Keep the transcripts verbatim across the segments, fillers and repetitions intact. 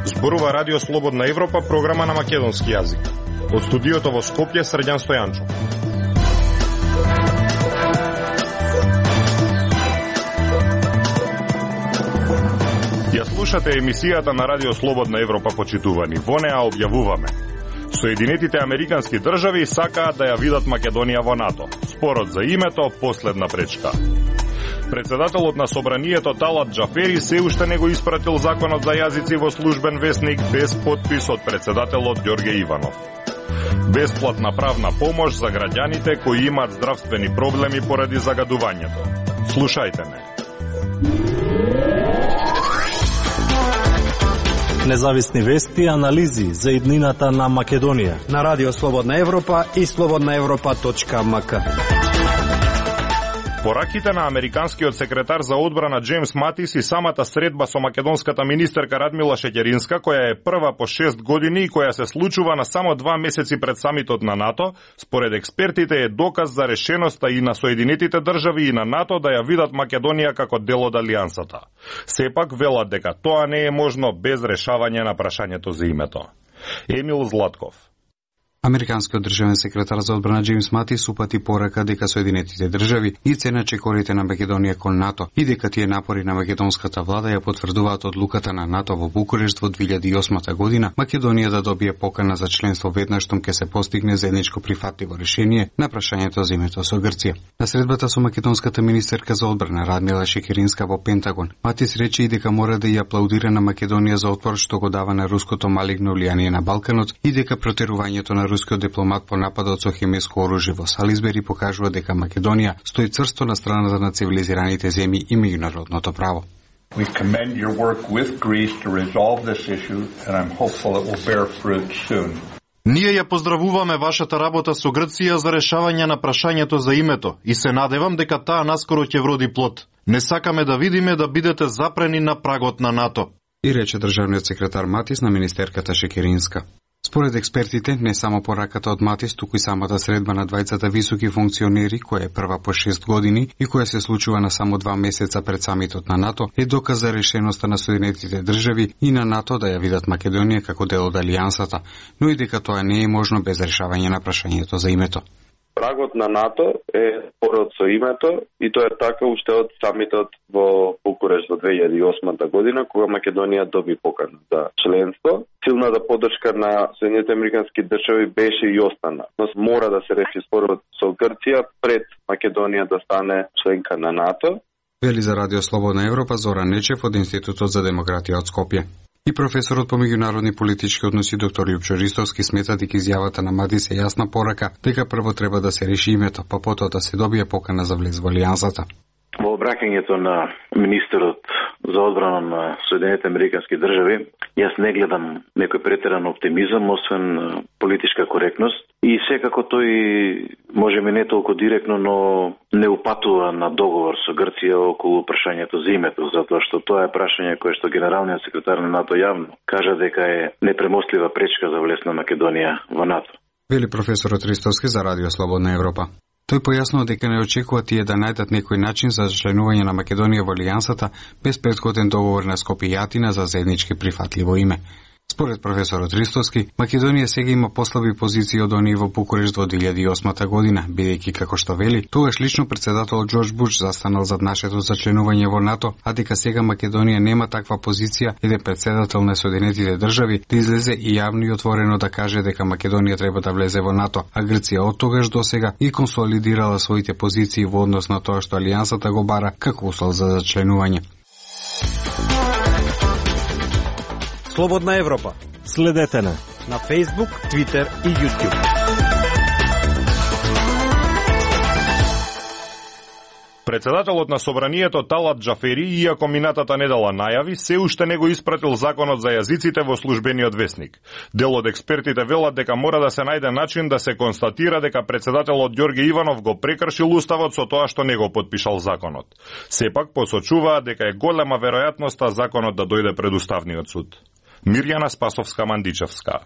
Зборува Радио Слободна Европа, програма на македонски јазик. Од студиото во Скопје, Срđan Стојанчо. Ја слушате емисијата на Радио Слободна Европа, почитувани. Во неа објавуваме: Соединетите Американски држави сакаат да ја видат Македонија во НАТО. Спорот за името последна пречка. Председателот на Собранието Талат Џафери се уште не го испратил законот за јазици во службен весник без подпис од председателот Ѓорге Иванов. Бесплатна правна помош за граѓаните кои имаат здравствени проблеми поради загадувањето. Слушајте ме. Независни вести и анализи за иднината на Македонија на Радио Слободна Европа и слободна европа точка ем ка. Пораките на американскиот секретар за одбрана Џејмс Матис и самата средба со македонската министерка Радмила Шеќеринска, која е прва по шест години и која се случува на само два месеци пред самитот на НАТО, според експертите е доказ за решеноста и на Соединетите држави и на НАТО да ја видат Македонија како дел од алијансата. Сепак велат дека тоа не е можно без решавање на прашањето за името. Емил Златков. Американскиот државен секретар за одбрана Џејмс Матис упати порака дека Соединетите држави ги ценат чекорите на Македонија кон НАТО и дека тие напори на македонската влада ја потврдуваат одлуката на НАТО во Букурешт во две илјади и осма година Македонија да добие покана за членство веднаш штом ќе се постигне заедничко прифатливо решение на прашањето за името со Грција. На средбата со македонската министерка за одбрана Радмила Шеќеринска во Пентагон, Матис рече и дека мора да ја аплаудира на Македонија за отпор што го дава на руското малигно влијание на Балканот и дека протерувањето на рускиот дипломат по нападот со хемиско оружје во Сализбери покажува дека Македонија стои црсто на страната на цивилизираните земји и меѓународното право. We commend your work with Greece to resolve this issue and I'm hopeful it will bear fruit soon. Ние ја поздравуваме вашата работа со Грција за решавање на прашањето за името и се надевам дека таа наскоро ќе вроди плод. Не сакаме да видиме да бидете запрени на прагот на НАТО. И рече државниот секретар Матис на министерката Шеќеринска. Според експертите, не само пораката од Матис, туку и самата средба на двајцата високи функционери, која е прва по шест години и која се случува на само два месеца пред самитот на НАТО, е доказ за решеноста на Соединетите држави и на НАТО да ја видат Македонија како дел од алијансата, но и дека тоа не е можно без решавање на прашањето за името. Прагот на НАТО е спорот со името и тоа е така уште од самитот во Букурешт во две илјади и осма година, кога Македонија доби покана за членство. Силната поддршка на Соединетите Американски држави беше и остана. Но мора да се реши спорот со Грција пред Македонија да стане членка на НАТО. Вели за Радио Слободна Европа Зоран Нечев од Институтот за демократија од Скопје. И професорот по меѓународни политички односи доктор Љупчо Ристовски смета дека изјавата на Матис е јасна порака дека прво треба да се реши името, па потоа да се добие покана за влез во алијансата. Во обраќањето на министерот за одбрана на Соединетите Американски држави, јас не гледам некој претеран оптимизам, освен политичка коректност. И секако тој, може би не толку директно, но не упатува на договор со Грција околу прашањето за името, затоа што тоа е прашање кое што генералниот секретар на НАТО јавно кажа дека е непремостлива пречка за влез на Македонија во НАТО. Вели професорот Ристовски за Радио Слободна Европа. Тој појаснува дека не очекува тие да најдат некој начин за членување на Македонија во алијансата без претходен договор на Скопје и Атина за заеднички прифатливо име. Според професорот Ристовски, Македонија сега има послаби позиции од оние во Букурешт во две илјади и осма година, бидејќи како што вели, тогаш лично председателот Џорџ Буш застанал зад нашето зачленување во НАТО, а дека сега Македонија нема таква позиција, еден председател на Соединетите држави да излезе и јавно и отворено да каже дека Македонија треба да влезе во НАТО, а Грција од тогаш до сега и консолидирала своите позиции во однос на тоа што алијансата го бара како услов за зачленување. Слободна Европа. Следете на на Facebook, Twitter и YouTube. Председателот на Собранието Талат Џафери, иако минатата недела најави, се уште не го испратил законот за јазиците во службениот весник. Дел од експертите велат дека мора да се најде начин да се констатира дека председателот Ѓорге Иванов го прекршил уставот со тоа што не го потпишал законот. Сепак посочуваат дека е голема веројатноста законот да дојде пред Уставниот суд. Мирјана Спасовска-Мандичевска.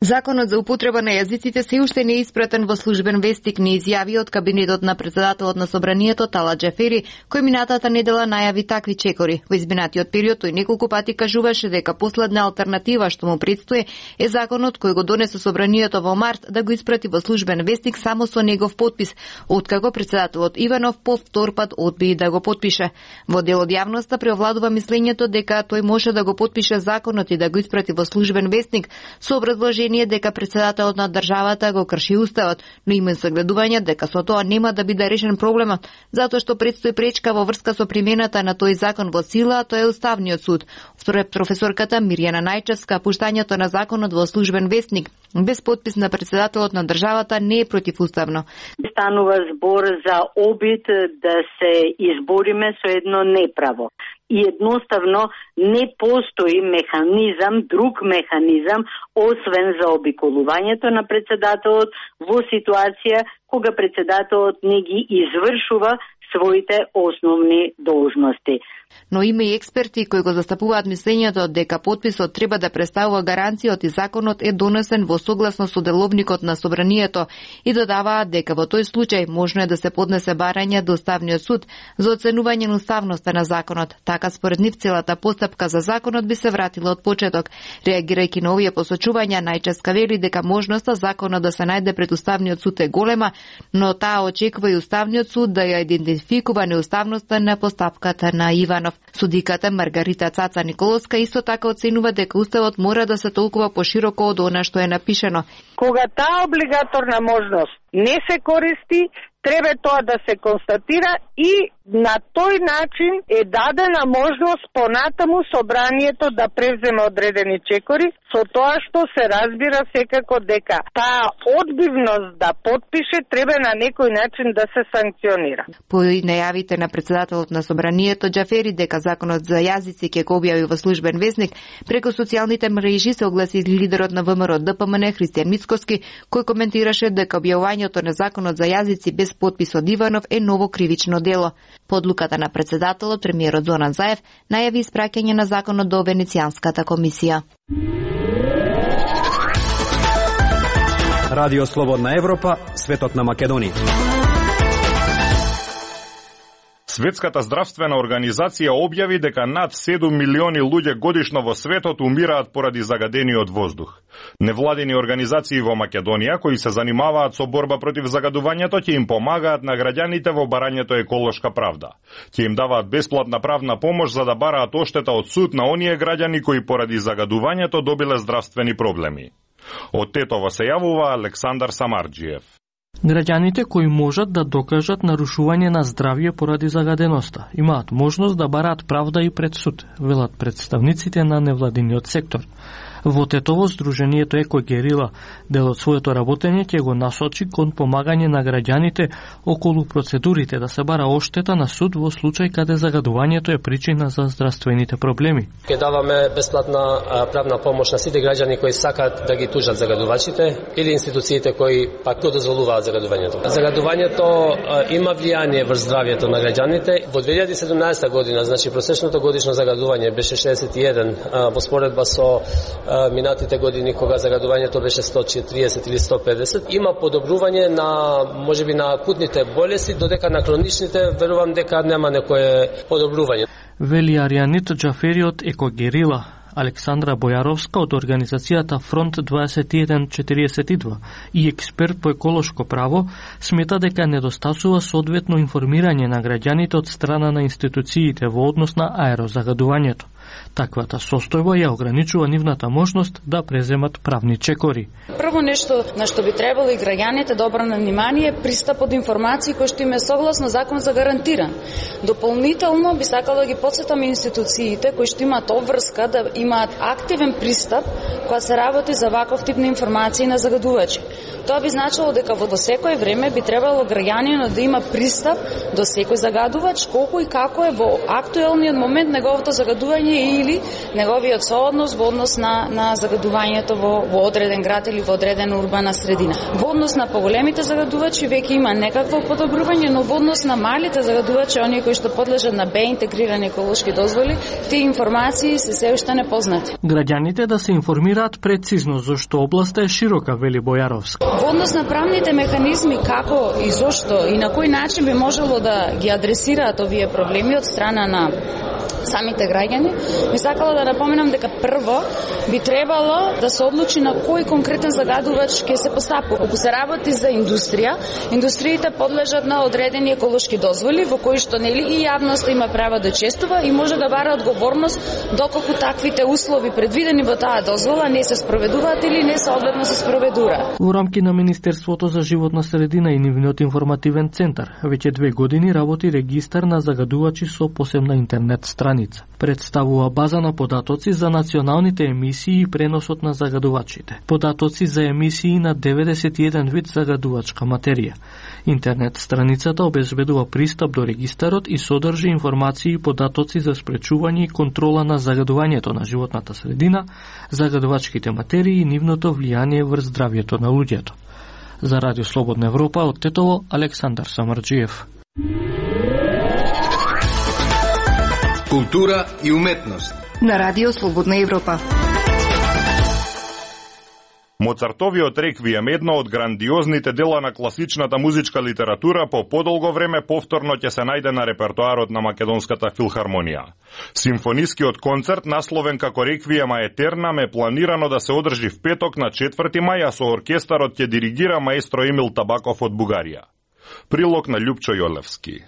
Законот за употреба на јазиците се уште не е испратен во службен вестник, не изјави од кабинетот на председателот на собранието Тала Џафери, кој минатата недела најави такви чекори. Во изминатиот период тој неколку пати кажуваше дека последна алтернатива што му предстои е законот кој го донесе собранието во март да го испрати во службен вестник само со негов потпис, откако председателот Иванов по втор пат одби да го потпише. Во дел од јавноста преовладува мислењето дека тој може да го потпише законот и да го испрати во службен вестник со образложение дека председателот на државата го крши уставот, но има загледување дека со тоа нема да биде решен проблемот, затоа што предстои пречка во врска со примената на тој закон во сила, а тоа е Уставниот суд. Според професорката Мирјана Најчевска, пуштањето на законот во службен вестник без подпис на председателот на државата не е противуставно. Станува збор за обид да се избориме со едно неправо. И едноставно не постои механизам, друг механизам, освен за обиколувањето на председателот во ситуација кога председателот не ги извршува своите основни должности. Но има и експерти кои го застапуваат мислењето дека потписот треба да представува гаранцијот и законот е донесен во согласно со деловникот на собранието и додаваат дека во тој случај можно е да се поднесе барање до Уставниот суд за оценување на уставноста на законот. Така според нив целата постапка за законот би се вратила од почеток. Реагирајќи на овие посочувања, Најчевска вели дека можноста законот да се најде пред Уставниот суд е голема, но таа очекува и Уставниот суд да ја идентификува неуставноста на постапката на Иванов. Судиката Маргарита Цаца Николовска исто така оценува дека уставот мора да се толкува пошироко од она што е напишено. Кога таа облигаторна можност не се користи, треба тоа да се констатира и на тој начин е дадена можност понатаму собранието да превземе одредени чекори, со тоа што се разбира секако дека таа одбивност да потпише треба на некој начин да се санкционира. По најавите на председателот на собранието Џафери дека законот за јазици ќе го објави во службен вестник, преку социјалните мрежи се огласи лидерот на ВМРО ДПМН Христијан Мицкоски, кој коментираше дека објавувањето на законот за јазици без потпис од Иванов е ново кривично дело. По одлуката на председателот, премиерот Зоран Заев најави испраќање на законот до Венецијанската комисија. Радио Слободна Европа, светот на Македонија. Светската здравствена организација објави дека над седум милиони луѓе годишно во светот умираат поради загадениот воздух. Невладени организации во Македонија кои се занимаваат со борба против загадувањето ќе им помагаат на граѓаните во барањето еколошка правда. Ќе им даваат бесплатна правна помош за да бараат оштета од суд на оние граѓани кои поради загадувањето добиле здравствени проблеми. Од Тетово се јавува Александар Самарџиев. Граѓаните кои можат да докажат нарушување на здравје поради загаденоста имаат можност да бараат правда и пред суд, велат представниците на невладиниот сектор. Во Тетово Сдруженијето Екогерила дел од своето работење ќе го насочи кон помагање на граѓаните околу процедурите да се бара оштета на суд во случај каде загадувањето е причина за здравствените проблеми. Ќе даваме бесплатна правна помош на сите граѓани кои сакаат да ги тужат загадувачите или институциите кои пак го дозволуваат загадувањето. Загадувањето има влијание врз здравјето на граѓаните. Во две илјади и седумнаесета година, значи просечното годишно загадување беше шеесет и еден, во споредба со минатите години кога загадувањето беше сто четириесет или сто педесет. Има подобрување на можеби на акутните болести, додека на хроничните верувам дека нема некое подобрување. Вели Аријанит Џафери од Екогерила. Александра Бојаровска од организацијата Фронт дваесет и еден четириесет и два и експерт по еколошко право смета дека недостасува соодветно информирање на граѓаните од страна на институциите во однос на аерозагадувањето. Таквата состојба ја ограничува нивната можност да преземат правни чекори. Прво нешто на што би требало и граѓаните да обрнат внимание е пристап од информации кои што им е согласно закон загарантиран. Дополнително би сакала да ги потсетам институциите кои што имаат обврска да имаат активен пристап кога се работи за ваков тип на информации на загадувачи. Тоа би значило дека во секој време би требало граѓанинот да има пристап до секој загадувач, колку и како е во актуелниот момент неговото загадување загадување или неговиот сооднос во однос на на загадувањето во во одреден град или во одредена урбана средина. Во однос на поголемите загадувачи веќе има некакво подобрување, но во однос на малите загадувачи, оние кои што подлежат на Б интегрирани еколошки дозволи, тие информации се се уште непознати. Граѓаните да се информираат прецизно зашто областа е широка, вели Бојаровски. Во однос на правните механизми како и зошто и на кој начин би можело да ги адресираат овие проблеми од страна на самите граѓани, ми сакала да напоменам дека прво би требало да се одлучи на кој конкретен загадувач ќе се постапува. Ако се работи за индустрија, индустриите подлежат на одредени еколошки дозволи во кои што нели и јавноста има право да честува и може да бара одговорност доколку таквите услови предвидени во таа дозвола не се спроведуваат или не соодветно се спроведуваат. Во рамки на Министерството за животна средина и нивниот информативен центар веќе две години работи регистар на загадувачи со посебна интернет страница. Представува база на податоци за националните емисии и преносот на загадувачите. Податоци за емисии на деветдесет и еден вид загадувачка материја. Интернет страницата обезбедува пристап до регистарот и содржи информации и податоци за спречување и контрола на загадувањето на животната средина, загадувачките материи и нивното влијание врз здравјето на луѓето. За Радио Слободна Европа од Тетово, Александар Самарџиев. Култура и уметност на Радио Слободна Европа. Моцартовиот реквием, едно од грандиозните дела на класичната музичка литература, по подолго време повторно ќе се најде на репертоарот на Македонската филхармонија. Симфонискиот концерт, насловен како Реквием а етернам, е планирано да се одржи в петок на четврти мај, а со оркестарот ќе диригира маестро Емил Табаков од Бугарија. Прилог на Љупчо Јолевски.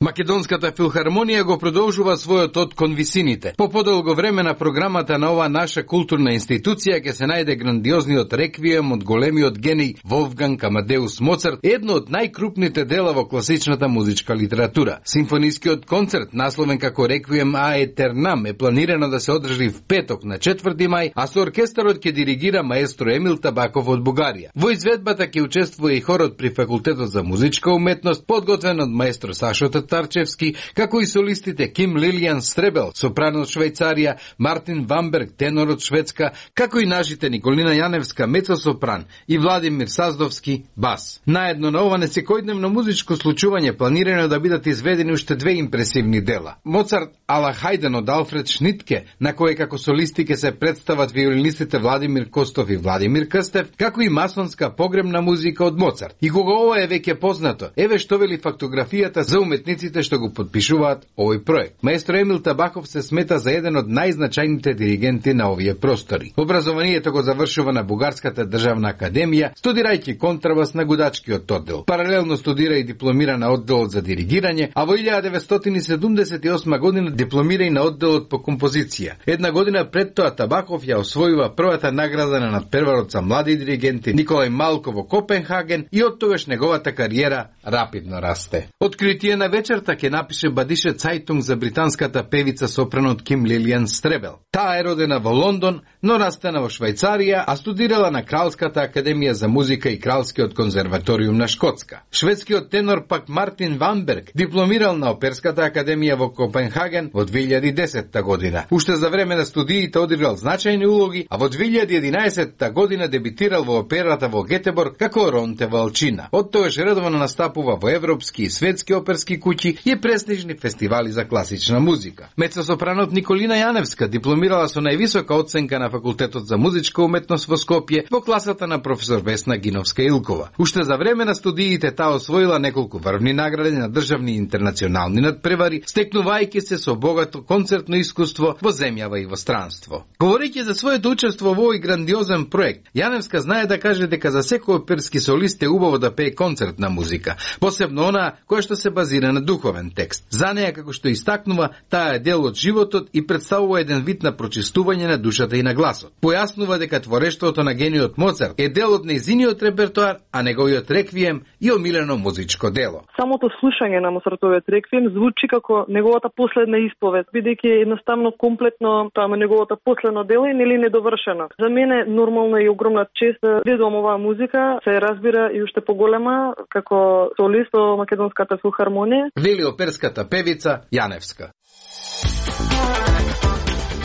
Македонската филхармонија го продолжува својот од кон висините. По подолго време на програмата на ова наша културна институција ќе се најде грандиозниот реквием од големиот гений Волфганг Амадеус Моцарт, едно од најкрупните дела во класичната музичка литература. Симфонискиот концерт, насловен како Реквием а етернам, е планирано да се одржи в петок на четврти мај, а со оркестарот ќе диригира маестро Емил Табаков од Бугарија. Во изведбата ќе учествува и хорот при Факултетот за музичка уметност, подготвен од маестро Сашо Тарчевски, како и солистите Ким Лилијан Стребел, сопрано од Швајцарија, Мартин Вамберг, тенор од Шведска, како и нашите Николина Јаневска, мецо-сопран, и Владимир Саздовски, бас. Наедно на ова несекојдневно музичко случување планирано да бидат изведени уште две импресивни дела. Моцарт ала Хајден од Алфред Шнитке, на кој како солисти ќе се представат виолинистите Владимир Костов и Владимир Крстев, како и масонска погребна музика од Моцарт. И кога ова е веќе познато, еве што вели фактографијата за уметниците што го подпишуваат овој проект. Маестро Емил Табаков се смета за еден од најзначајните диригенти на овие простори. Образованието го завршува на Бугарската државна академија, студирајќи контрабас на гудачкиот оддел. Паралелно студира и дипломира на одделот за диригирање, а во илјада деветстотини седумдесет и осма година дипломира и на одделот по композиција. Една година пред тоа Табаков ја освојува првата награда на надпреварот за млади диригенти Николај Малко во Копенхаген и оттогаш неговата кариера рапидно расте. Откритие на вечерта ќе напише Бадише Цајтунг за британската певица сопранот Ким Лилијан Стребел. Таа е родена во Лондон, но растена во Швајцарија, а студирала на Кралската академија за музика и Кралскиот конзерваториум на Шкотска. Шведскиот тенор пак Мартин Вамберг дипломирал на Оперската академија во Копенхаген во две илјади и десетта година. Уште за време на студиите одиграл значајни улоги, а во две илјади и единаесетта година дебитирал во операта во Гетеборг како Ронте Валчина. Оттогаш редовно настапува во европски и светски оперски куќи и престижни фестивали за класична музика. Мецо-сопранот Николина Јаневска дипломирала со највисока оценка на Факултетот за музичка уметност во Скопје во класата на професор Весна Гиновска-Илкова. Уште за време на студиите таа освоила неколку врвни награди на државни и интернационални надпревари, стекнувајќи се со богато концертно искуство во земјава и во странство. Говорејќи за своето учество во овој грандиозен проект, Јаневска знае да каже дека за секој оперски солист е убаво да пее концертна музика, посебно она која што се базира на духовен текст. За неја, како што истакнува, таа е дел од животот и представува еден вид на прочистување на душата и на гласот. Појаснува дека творештвото на гениот Моцарт е дел од нејзиниот репертоар, а неговиот реквием и омилено музичко дело. Самото слушање на Моцартовиот реквием звучи како неговата последна исповед, бидејќи едноставно комплетно тоа е неговото последно дело и нели недовршено. За мене нормално и огромна чест да видам оваа музика, се разбира и уште поголема како солист во Македонската филхармонија. Вели оперската певица Јаневска.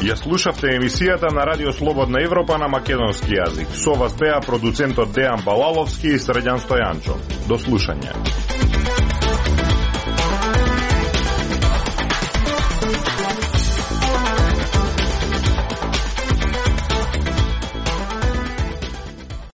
Ја слушавте емисијата на Радио Слободна Европа на македонски јазик. Со вас беа продуцентот Дејан Балаловски и Средјан Стојанчо. До слушање.